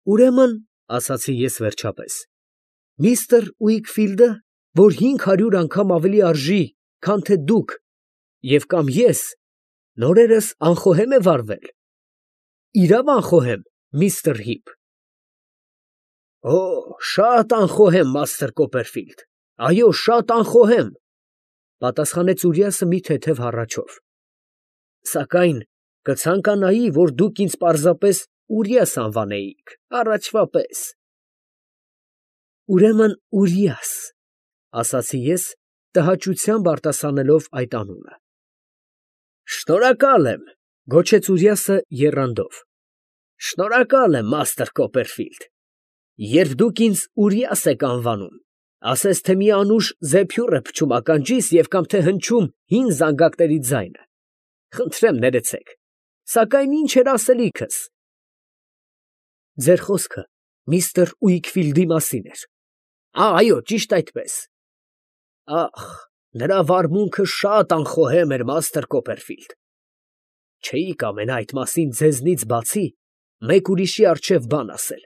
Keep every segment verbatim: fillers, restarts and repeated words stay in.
Ուրեմն, ասացի ես վերջապես, միստր Ուիքֆիլդը, որ հինգ հարյուր անգամ ավելի արժի, քան թե դուք, և կամ ես, նորերս անխոհե՞մ է վարվել։ Իրավ անխոհե՞մ, միստր Հիփ։ Օ, շատ անխոհեմ, մաստր Կոպերֆիլդ, այո, շատ անխոհեմ, պատասխանեց Ուրիասը մի թեթև հառաչով, սակայն կցանկանայի, որ դուք ինձ պարզապես Ուրիաս անվանեիք, առաջվա պես։ Ուրեմն Ուրիաս, ասացի ես, տհաճությամբ արտասանելով այդ անունը։ Շնորհակալ եմ, գոչեց Ուրիասը եռանդով։ Շնորհակալ եմ, մաստր Կոպերֆիլդ։ Երբ դուք ինձ Ուրիաս եք անվանում, ասես թե մի անուշ զեփյուռ է փչում ականջիս և կամ թե հնչում հին զանգակների ձայնը, խնդրեմ ներեցեք, սակայն ի՞նչ էր ասելիքս։ Ձեր խոսքը միստր Ուիքֆիլդի մասին էր։ Այո, ճիշտ այդպես։ Ախ, նրա վարմունքը շատ անխոհեմ էր, մաստր Կոպերֆիլդ։ Չէի կամենա այդ մասին ձեզնից բացի մեկ ուրիշի առջև բան ասել։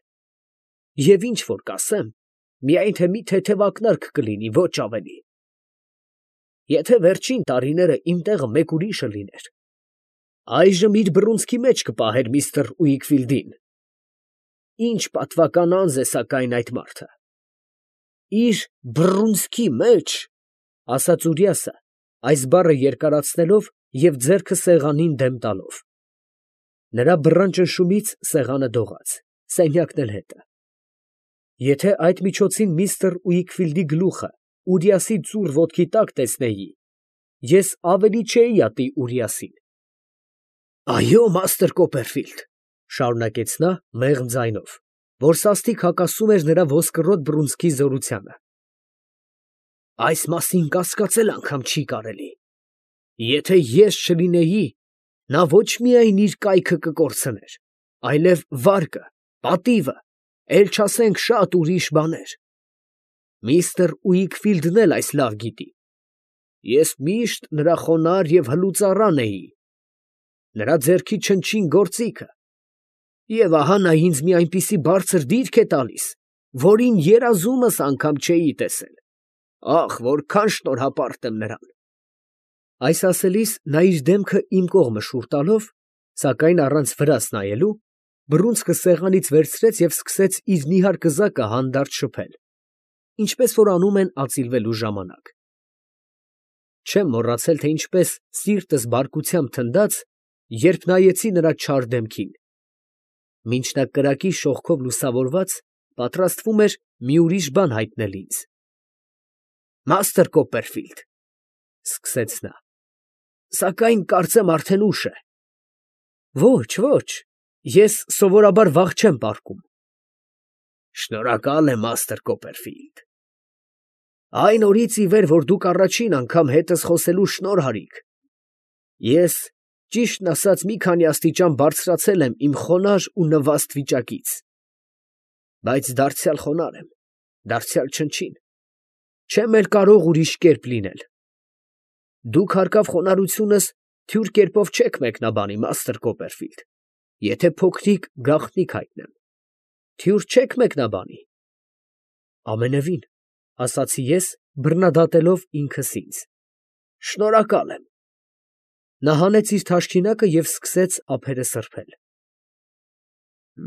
Եվ ինչ որ կասեմ, միայն թե մի թեթև ակնարկ կլինի, ոչ ավելի։ Եթե վերջին տարիները իմ տեղը մեկ ուրիշը լիներ, այժմ իր բռունցքի մեջ կպահեր միստր Ուիքֆիլդին։ Ինչ պատվական անձ է սակայն այդ մարդը։ Իր բռունցքի մեջ, ասաց Ուրիասը, այս բառը երկարացնելով և ձեռքը սեղանին դեմ տալով։ Նրա բռան ճնշումից սեղանը դողաց, սենյակն էլ հետը։ Եթե այդ միջոցին միստր Ուիքֆիլդի գլուխը Ուրիասի ծուռ ոտքի տակ տեսնեի, ես ավելի չէի ատի Ուրիասին։ Այո, մաստր Կոպերֆիլդ, շարունակեց նա մեղմ ձայնով, որ սաստիկ հակասում էր նրա ոսկրոտ բռունցքի զորությանը։ Այս մասին կասկածել անգամ չի կարելի։ Եթե ես չլինեի, նա ոչ միայն իր կայքը կկորցներ, այլև վարկը, պատիվը, էլ չասենք շատ ուրիշ բաներ։ Միստր Ուիքֆիլդն էլ այս լավ գիտի։ Ես միշտ նրա խոնարհ և հլուծառան էի, նրա ձեռքի չնչին գործիքը, և ահա նա ինձ մի այնպիսի բարձր դիրք է տալիս, որին երազումս անգամ չէի տեսել։ Ախ, որքան շնորհապարտ եմ նրան։ Այս ասելիս նա իր դեմքը իմ կողմը շուռ տալով, սակայն առանց վրաս նայելու, բռունցքը սեղանից վերցրեց և սկսեց իր նիհար կզակը հանդարտ շփել, ինչպես որ անում են ածիլվելու ժամանակ։ Չեմ մոռացել, թե ինչպես սիրտս բարկությամբ թնդաց, երբ նայեցի նրա չար դեմքին։ Մինչ նա կրակի շողքով լուսավորված պատրաստվում էր մի ուրիշ բան հայտնել ինձ։ Մաստր Կոպերֆիլդ, սկսեց նա, սակայն կարծեմ արդեն ուշ է։ Ոչ, ոչ, ես սովորաբար վաղ չեմ պառկում։ Շնորհակալ եմ, մաստր Կոպերֆիլդ։ Այն օրից ի վեր, որ դուք առաջին անգամ հետս խոսելու շնորհ արիք, ես, ճիշտն ասած, մի քանի աստիճան բարձրացել եմ իմ խոնարհ ու նվաստ վիճակից։ Բայց դարձյալ խոնարհ եմ, դարձյալ չնչին, չեմ էլ կարող ուրիշ կերպ լինել։ Դուք հարկավ խոնարհությունս թյուր կերպով չեք մեկնաբանի, մաստր Կոպերֆիլդ, եթե փոքրիկ գաղտնիք հայտնեմ, թյուր չեք մեկնաբանի։ Ամենևին, ասացի ես, բռնադատելով ինքս ինձ։ Շնորհակալ եմ։ Նա հանեց իր թաշկինակը և սկսեց ափերը սրբել։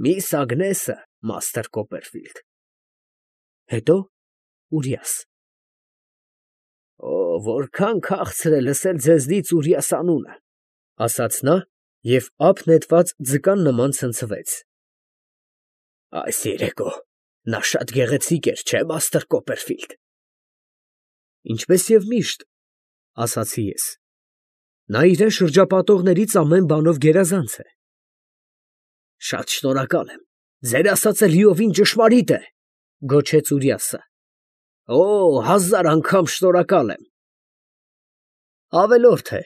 Միս Ագնեսը, մաստր Կոպերֆիլդ։ Հետո Ուրիաս։ Օ, որքան քաղցր է լսել ձեզնից Ուրիաս անունը, ասաց նա և ափ նետված ձկան նման ցնցվեց։ Այս երեկո նա շատ գեղեցիկ էր, չէ՞, մաստր Կոպերֆիլդ։ Ինչպես և միշտ, ասացի ես։ Նա իրան շրջապատողներից ամեն բանով գերազանց է։ Շատ շնորհակալ եմ, ձեր ասածը լիովին ճշմարիտ է, գոչեց Ուրիասը։ Օ, հազար անգամ շնորհակալ եմ։ Ավելորդ է,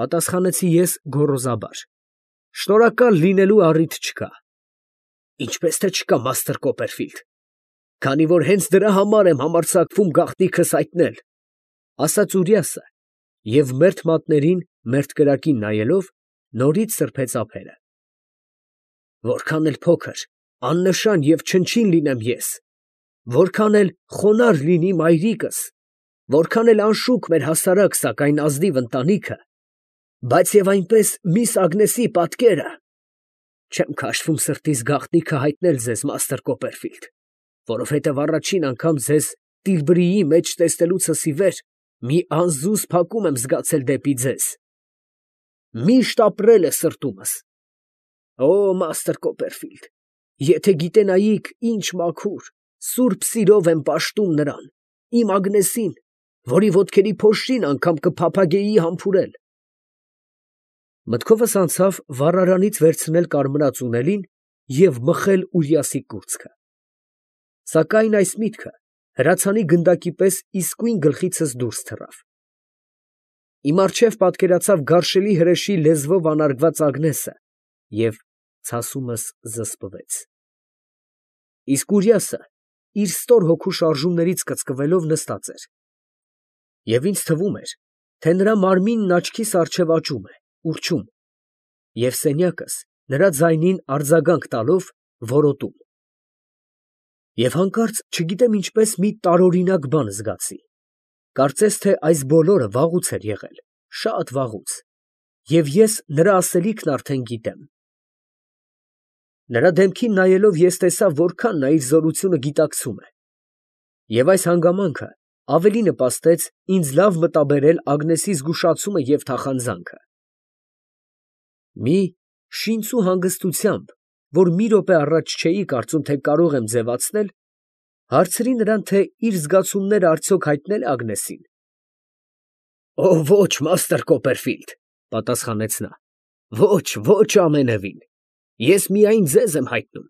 պատասխանեցի ես գոռոզաբար, շնորհակալ լինելու առիթ չկա։ Ինչպես թե չկա, մաստր Կոպերֆիլդ, քանի որ հենց դրա համար եմ համարձակվում գաղտնիքս հայտնել, ասաց Ուրիասը և մերթ մատներին, մերթ կրակին նայելով, նորից սրբեց ափերը։ Որքան էլ փոքր, աննշան և չնչին լինեմ ես, որքան էլ խոնարհ լինի մայրիկս, որքան էլ անշուք մեր հասարակ, սակայն ազնիվ ընտանիքը, բայց և այնպես միս Ագնեսի պատկերը, չեմ քաշվում սրտիս գաղտնիքը հայտնել ձեզ, մաստր Կոպերֆիլդ, որովհետև առաջին անգամ ձեզ Տիլբրիի մեջ տեսնելուցս ի վեր մի անզուզ փակում եմ զգացել դեպի ձեզ. միշտ ապրել է սրտումս. Օ, մաստր Կոպերֆիլդ, եթե գիտենայիք ինչ մաքուր, սուրբ սիրով եմ պաշտում նրան, իմ Ագնեսին, որի ոտքերի փոշին անգամ կփափագեի համբուրել։ Մտքովս անցավ վառարանից վերցնել կարմրած ունելին և մխել Ուրիասի կուրծքը։ Սակայն այս միտքը հրացանի գնդակի պես իսկույն գլխիցս դուրս թռավ։ Իմ առջև պատկերացավ գարշելի հրեշի լեզվով անարգված Ագնեսը և ցասումս զսպվեց։ Իսկ Ուրիասը իր ստոր հոգու շարժումներից կծկվելով նստած էր, և ինձ թվում էր, թե նրա մարմինն աչքիս առջև աճում է, ուռչում, և սենյակս նրա ձայնին արձագանք տալով որոտում։ Եվ հանկարծ չգիտեմ ինչպես մի տարօրինակ բան զգացի, կարծես թե այս բոլորը վաղուց էր եղել, շատ վաղուց, և ես նրա ասելիքն արդեն գիտեմ։ Նրա դեմքին նայելով ես տեսա, որքան նա իր զորությունը գիտակցում է, և այս հանգամանքը ավելի նպաստեց ինձ լավ մտաբերել Ագնեսի զգուշացումը և թախանձանքը։ Մի շինծու հանգստությամբ, որ մի րոպե առաջ չէի կարծում, թե կարող եմ ձևացնել, հարցրի նրան, թե իր զգացումները արդյոք հայտնել է Ագնեսին։ ֊ Օ, ոչ, մաստր Կոպերֆիլդ, ֊ պատասխանեց նա, ֊ ոչ, ոչ ամենևին, ես միայն ձեզ եմ հայտնում.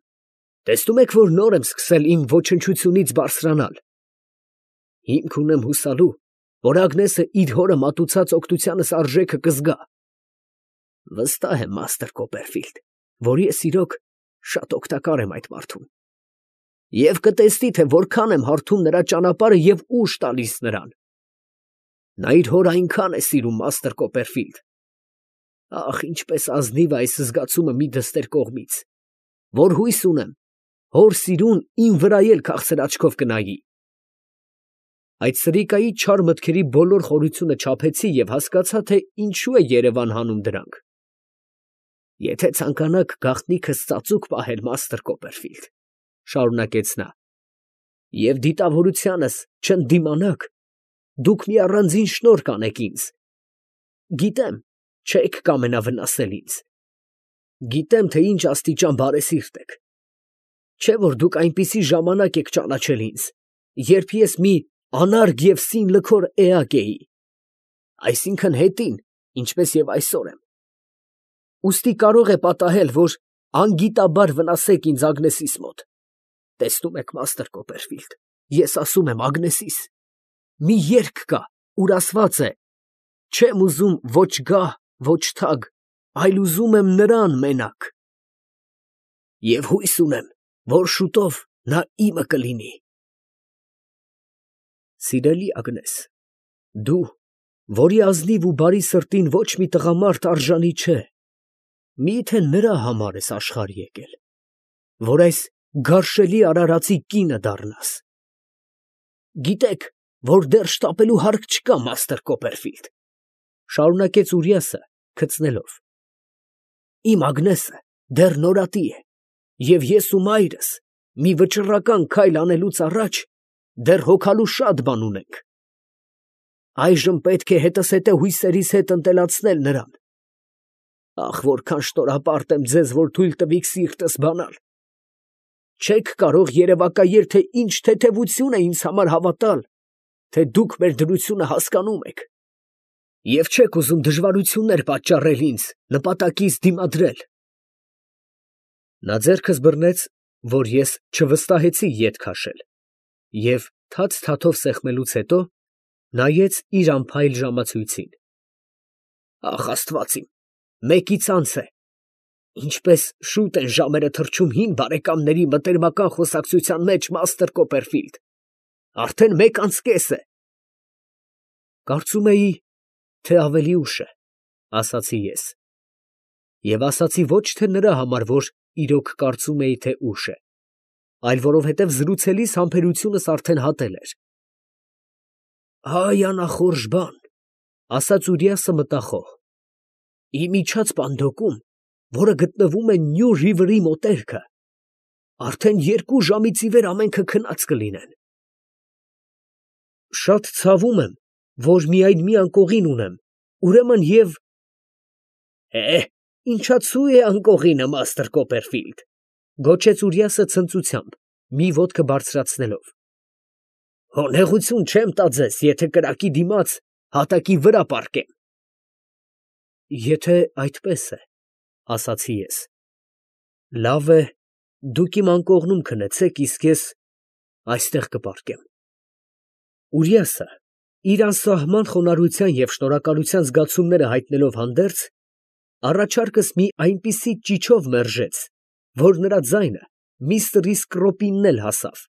տեսնում եք, որ նոր եմ սկսել իմ ոչնչությունից բարձրանալ. հիմք ունեմ հուսալու, որ Ագնեսը իր հորը մատուցած օգնությանս արժեքը կզգա։ Վստահ եմ, մաստր Կոպերֆիլդ, որ ես իրոք շատ օգտակար եմ այդ մարդուն, և կտեսնի, թե որքան եմ հարթում նրա ճանապարհը և ուժ տալիս նրան։ Նա իր հորը այնքան է սիրում, մաստր Կոպերֆիլդ, ախ, ինչպես ազնիվ է այս զգացումը մի դստեր կողմից, որ հույս ունեմ, հոր սիրուն իմ վրա էլ քաղցր աչքով կնայի։ Այդ սրիկայի չար մտքերի բոլոր խորությունը չափեցի և հասկացա, թե ինչու է երևան հանում դրանք։ Եթե ցանկանաք գաղտնիքս ծածուկ պահել, մաստր Կոպերֆիլդ, ֊ շարունակեց նա, ֊ և դիտավորությանս չընդդիմանաք, դուք մի առանձին շնորհ կանեք ինձ. գիտեմ, չեք կամենա վնասել ինձ, գիտեմ, թե ինչ աստիճան բարեսիրտ եք, չէ՞ որ դուք այնպիսի ժամանակ եք ճանաչել ինձ, երբ ես մի անարգ և սին լքոր էակ էի, այսինքն՝ հետին, ինչպես և այսօր եմ, ուստի կարող է պատահել, որ անգիտաբար վնասեք ինձ Ագնեսիս մոտ, տեսնում եք, մաստր Կոպերֆիլդ, ես ասում եմ Ագնեսիս, մի երգ կա, ուր ասված է. չեմ ուզում ոչ գահ, ոչ թագ, այլ ուզում եմ նրան մենակ, և հույս ունեմ, որ շուտով նա իմը կլինի։ Սիրելի Ագնես, դու, որի ազնիվ ու բարի սրտին ոչ մի տղամարդ արժանի չէ, մի՞թե նրա համար ես աշխարհ եկել, որ այս գարշելի արարածի կինը դառնաս։ Գիտեք, որ դեռ շտապելու հարկ չկա, մաստր Կոպերֆիլդ, ֊ շարունակեց Ուրիասը քցնելով, ֊ իմ Ագնեսը դեռ նորատի է, և ես ու մայրս մի վճռական քայլ անելուց առաջ դեռ հոգալու շատ բան ունենք։ Այժմ պետք է հետզհետե հույսերիս հետ ընտելացնել նրան։ Ախ, որքան շնորհապարտ եմ ձեզ, որ թույլ տվիք սիրտս բանալ։ Չեք կարող երևակայել, թե ինչ թեթևություն է ինձ համար հավատալ, թե դուք մեր դրությունը հասկանում եք, և չեք ուզում դժվարություններ պատճառել ինձ, նպատակիս դիմադրել։ Նա ձեռքս բռնեց, որ ես չվստահեցի ետ քաշել, և թաց֊թաթով սեղմելուց հետո նայեց իր անփայլ ժամացույցին։ Ախ, Աստված իմ, մեկից անց է, ինչպես շուտ են ժամերը թռչում հին բարեկամների մտերմական խոսակցության մեջ, մաստր Կոպերֆիլդ, արդեն մեկ անց կես է։ Կարծում էի, թե ավելի ուշ է, ֊ ասացի ես, և ասացի ոչ թե նրա համար, որ իրոք կարծում էի, թե ուշ է, այլ որովհետև զրուցելիս համբերությունս արդեն հատել էր։ «Այ անախորժ բան», ֊ ասաց Ուրիասը մտախոհ, ֊ իմիջած պանդոկում, որը գտնվում է Նյու Ռիվերի մոտերքը, արդեն երկու ժամից ի վեր ամենքը քնած կլինեն։ Շատ ցավում եմ, որ միայն մի անկողին ունեմ, ուրեմն և… Է, ինչացու է անկողինը, մաստր Կոպերֆիլդ, ֊ գոչեց Ուրիասը ցնծությամբ, մի ոտքը բարձրացնելով. հոնեղություն չեմ տա ձեզ, եթե կրակի դիմաց հատակի վրա պառկեմ։ Եթե այդպես է, ֊ ասացի ես, ֊ լավ է, դուք իմ անկողնում քնեցեք, իսկ ես այստեղ կպառկեմ։ Ուրիասը, իր անսահման խոնարհության և շնորհակալության զգացումները հայտնելով հանդերձ, առաջարկս մի այնպիսի ճիչով մերժեց, որ նրա ձայնը միստր Իսկրոպինն էլ հասավ։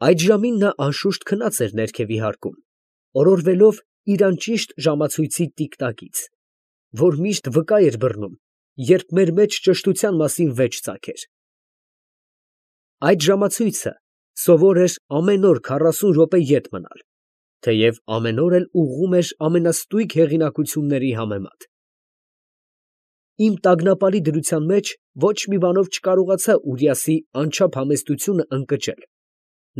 Այդ ժամին նա անշուշտ քնած էր ներքև իհարկում, օրորվելով իր անճիշտ ժամացույցի տիկ֊տակից, որ միշտ վկա էր բռնում, երբ մեր մեջ ճշտության մասին վեճ ծագեր։ Այդ ժամացույցը սովոր էր ամեն օր քառասուն րոպե ետ մնալ, թեև ամեն օր էլ ուղղում էր ամենաստույգ հեղինակությունների համեմատ։ Իմ տագնապալի դրության մեջ ոչ մի բանով չկարողացա Ուրիասի անչափ համեստությունը ընկճել,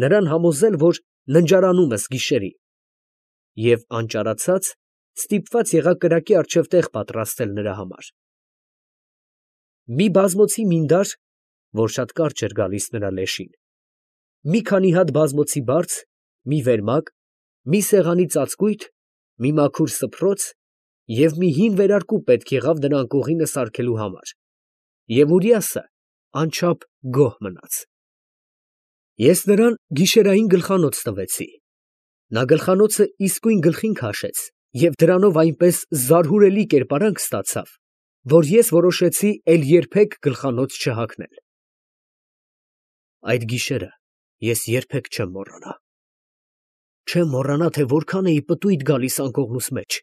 նրան համոզել, որ ննջարանումս գիշերի, և անճարացած ստիպված եղա կրակի առջև տեղ պատրաստել նրա համար։ Մի բազմոցի մինդար, որ շատ կարճ էր գալիս նրա լեշին, մի քանի հատ բազմոցի բարձ, մի վերմակ, մի սեղանի ծածկույթ, մի մաքուր սփռոց և մի հին վերարկու պետք եղավ նրա անկողինը սարքելու համար, և Ուրիասը անչափ գոհ մնաց։ Ես նրան գիշերային գլխանոց տվեցի. նա գլխանոցը իսկույն գլխին քաշեց և դրանով այնպես զարհուրելի կերպարանք ստացավ, որ ես որոշեցի էլ երբեք գլխանոց չհագնել։ Այդ գիշերը ես երբեք չեմ մոռանա։ Չեմ մոռանա, թե որքան էի պտույտ գալիս անկողնուս մեջ,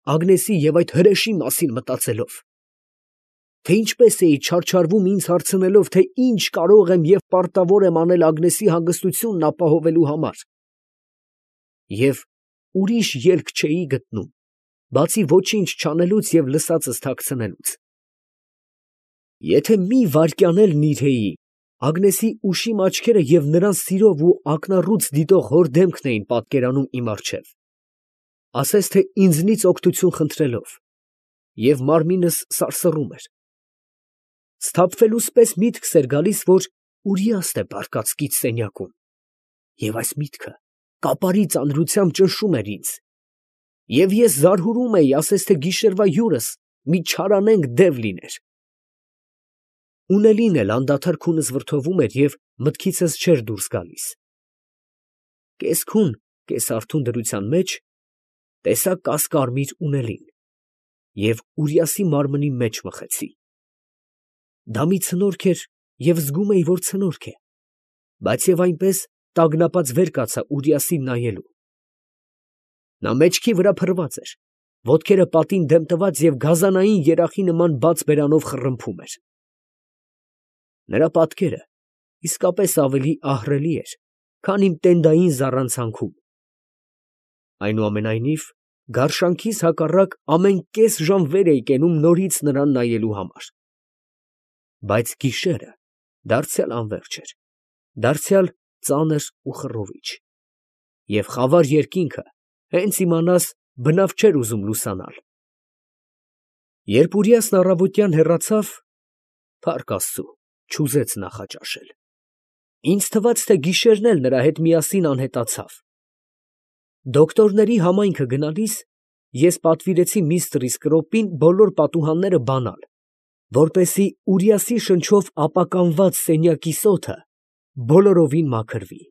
Ագնեսի և այդ հրեշի մասին մտածելով, թե ինչպես էի չարչարվում ինձ հարցնելով, թե ինչ կարող եմ և պարտավոր եմ անել Ագնեսի հանգստությունն ապահովելու համար, և ուրիշ ելք չէի գտնում, բացի ոչինչ չանելուց և լսածս թաքցնելուց։ Եթե մի վայրկյան էլ նիրհեի, Ագնեսի ուշիմ աչքերը և նրան սիրով ու ակնառուց դիտող հոր դեմքն էին պատկերանում իմ առջև, ասես թե ինձնից օգնություն խնդրելով, և մարմինս սարսռում էր։ Սթափվելուս պես միտքս էր գալիս, որ Ուրիասն է բարկած կից սենյակում, և այս միտքը կապարի ծանրությամբ ճնշում էր ինձ, և ես զարհուրում էի, ասես թե գիշերվա հյուրս մի չարանենգ դև լիներ։ Ունելին էլ անդադար քունս վրդովում էր և մտքիցս չէր դուրս գալիս։ Կես֊քուն, կես֊արթուն դրության մեջ տեսա կասկարմիր ունելին և Ուրիասի մարմնի մեջ մխեցի։ Դա մի ցնորք էր և զգում էի, որ ցնորք է, բայց և այնպես տագնապած վեր կացա Ուրիասին նայելու։ Նա մեջքի վրա փռված էր, ոտքերը պատին դեմ տված և գազանային երախի նման բաց բերանով խռմփում էր։ Նրա պատկերը իսկապես ավելի ահռելի էր, քան իմ տենդային զառանցանքում։ Այնուամենայնիվ, գարշանքիս հակառակ ամեն կես ժամ վեր էի կենում նորից նրան նայելու համար։ Բայց գիշերը դարձյալ անվերջ էր, դարձյալ ծանր ու խռովիչ, և խավար երկինքը հենց իմանաս բնավ չէր ուզում լուսանալ։ Երբ Ուրիասն առավոտյան հեռացավ, փառք Աստծու, չուզեց նախաճաշել։ Ինձ թվաց, թե գիշերն էլ նրա հետ միասին անհետացավ։ Դոկտորների համայնքը գնալիս ես պատվիրեցի միստր Իսկրոպին բոլոր պատուհանները բանալ, որպեսզի Ուրիասի շնչով ապականված սենյակի սոթը բոլորովին մաքրվի։